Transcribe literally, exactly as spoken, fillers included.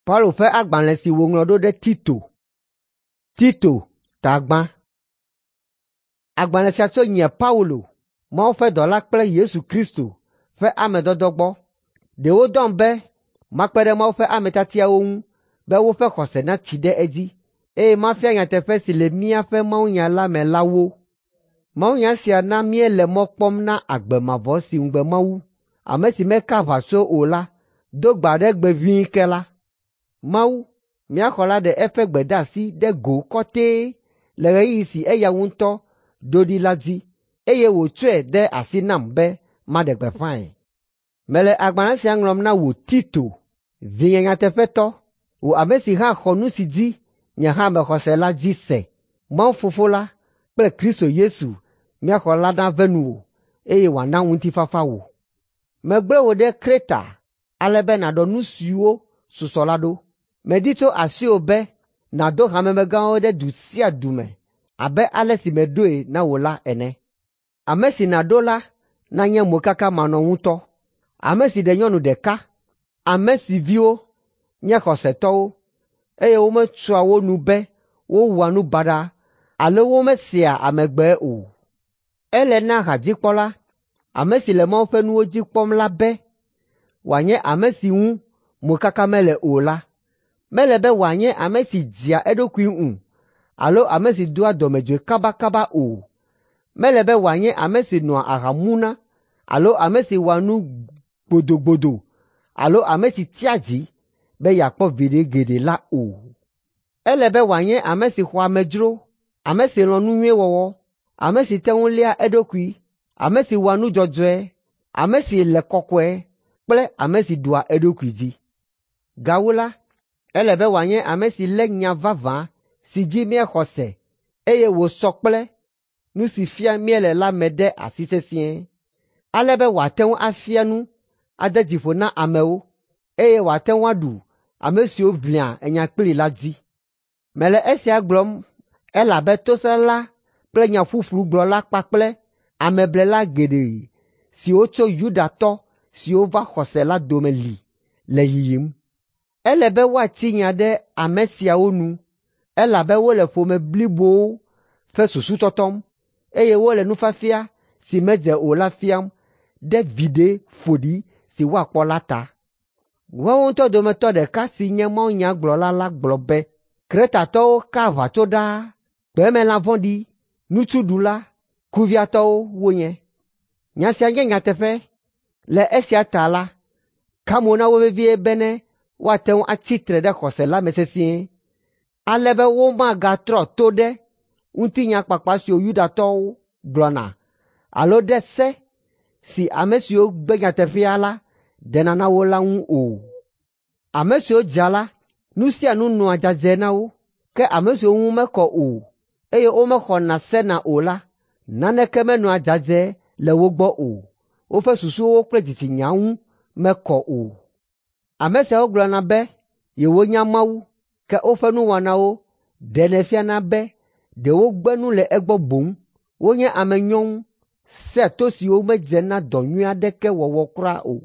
Paulo ƒe agbalẽ si wòŋlɔ ɖo ɖe Tito. Tito ta gbã. Agbalẽ sia tso nye Paulo, Mawu ƒe dɔla kple Yesu Kristo ƒe ame dɔdɔ gbɔ. Ɖe wodɔm be makpe ɖe Mawu ƒe ame tiatiawo ŋu be woƒe xɔse natsi ɖe edzi, eye mafia nyateƒe si le míaƒe mawunya la me la wo. Mawunya sia na míele mɔ kpɔm na agbe mavɔ si ŋugbe Mawu, ame si meka aʋatso o la, do gbe aɖe gbe ʋĩi ke la. Mawu, mía xɔla ɖe eƒe gbedeasi ɖe go kɔtɛe le ɣeyiɣi si eya ŋutɔ ɖo ɖi la dzi, eye wòtsɔe de asi nam be maɖe gbeƒãe. Mele agbalẽ sia ŋlɔm na wò Tito, vinye nyateƒetɔ, wò ame si hã xɔ nu si dzi nye hã mexɔ se la dzi se. Mawu Fofo la kple Kristo Yesu, mía xɔla nave nuwò, eye wòana ŋutifafa wò. Megblẽ wò ɖe Kreta ale be nàɖɔ nu siwo susɔ la ɖo. Medi tso asiwò be nàdo hamemegãwo ɖe du sia du me abe ale si meɖoe na wò la ene. Ame si nàɖo la nanye mokakamanɔŋutɔ, ame si ɖe nyɔnu ɖeka, ame si viwo nye xɔsetɔwo, eye wometsoa wo nu be wowɔa nu baɖa alo womesea amegbe o. Ele na hadzikpɔla, ame si le Mawu ƒe nuwo dzi kpɔm la be wòanye ame si ŋu mokaka mele o la. Mele be wòanye ame si dzea eɖokui ŋu alo ame si doa dɔmedzoe kabakaba o. Mele be wòanye ame si nɔa aha muna alo ame si wɔa nu gbodogbodo alo ame si tsia dzi be yeakpɔ viɖe geɖe la o. Ele be wòanye ame si xɔa amedzro, ame si lɔ̃ nu nyui wɔwɔ, ame si te ŋu léa eɖokui, ame si wɔa nu dzɔdzɔe, ame si le kɔkɔe kple ame si ɖua eɖokui dzi. Gawu la, ele be wòanye ame si lé nya vavã si dzi míexɔ se, eye wòsɔ kple nu si fiam míele la me ɖe asi sesĩe, ale be wòate ŋu afia nu, ade dzi ƒo na amewo, eye wòate ŋu aɖu ame siwo ʋlia nya kplii la dzi. Mele esia gblɔm elabe tosẽla kple nya ƒuƒlu gblɔla kpakple ameblela geɖe siwo tso Yudatɔ siwo va xɔ se la dome li le yiyim. Ele be woatsi nya ɖe ame siawo nu elabe wole ƒome blibowo ƒe susu tɔtɔm, eye wole nufiafia si medze o la fiam ɖe viɖe ƒoɖi si woakpɔ la ta. Woawo ŋutɔ dometɔ ɖeka si nye mawunyagblɔla la gblɔ be, Kretatɔwo ka aʋatso ɖaa, gbemelã vɔ̃ɖi, nutsuɖula, kuviatɔwo wonye. Nya sia nye nyateƒe. Le esia ta la, ka mo na wo vevie bene woate ŋu atsi tre ɖe xɔse la me sesĩe, ale be womagatrɔ to ɖe ŋutinya kpakpa siwo Yudatɔwo gblɔna alo ɖe se si ame siwo gbe nyateƒea la ɖena na wo la ŋu o. Ame siwo dzea la, nu sia nu nɔa dzadzɛ na wo, ke ame siwo ŋu mekɔ o, eye womexɔna sena o la, naneke menɔa dzadzɛ le wo gbɔ o. Woƒe susuwo kple dzitsinya ŋu mekɔ o. Ame siawo gblɔna be yewonya Mawu, ke woƒe nuwɔnawo ɖenɛ fiana be ɖe wogbe nu le egbɔ boŋ. Wonye ame nyɔŋu, sea to siwo medze na dɔ nyui aɖeke wɔwɔ kura o.